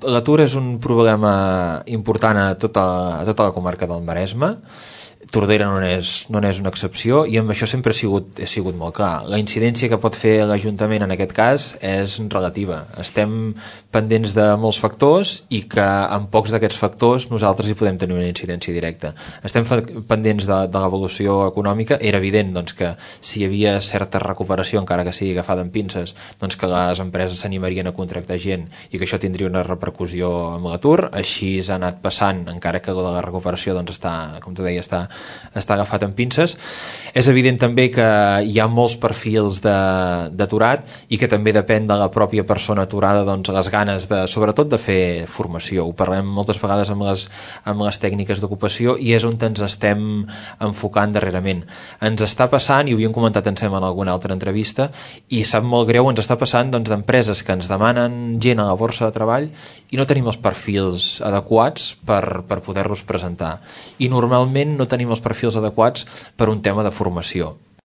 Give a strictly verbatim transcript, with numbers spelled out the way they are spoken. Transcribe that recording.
L'atur és un problema important a tota, a tota la comarca del Maresme. Tordera no n'és no n'és una excepció i amb això sempre ha sigut, ha sigut molt clar. La incidència que pot fer l'Ajuntament en aquest cas és relativa. Estem pendents de molts factors i que amb pocs d'aquests factors nosaltres hi podem tenir una incidència directa. Estem pendents de, de l'evolució econòmica. Era evident doncs, que si hi havia certa recuperació, encara que sigui agafada amb pinces, doncs que les empreses s'animarien a contractar gent i que això tindria una repercussió amb l'atur. Així s'ha anat passant, encara que la recuperació doncs, està, com tu deia, està està agafat amb pinces. És evident també que hi ha molts perfils d'aturat i que també depèn de la pròpia persona aturada doncs, les ganes de, sobretot de fer formació. Ho parlem moltes vegades amb les, amb les tècniques d'ocupació i és on ens estem enfocant darrerament. Ens està passant, i ho havíem comentat en sembla en alguna altra entrevista, i sap molt greu, ens està passant doncs, d'empreses que ens demanen gent a la borsa de treball i no tenim els perfils adequats per, per poder-los presentar. I normalment no tenim els perfils adequats per un tema de formació.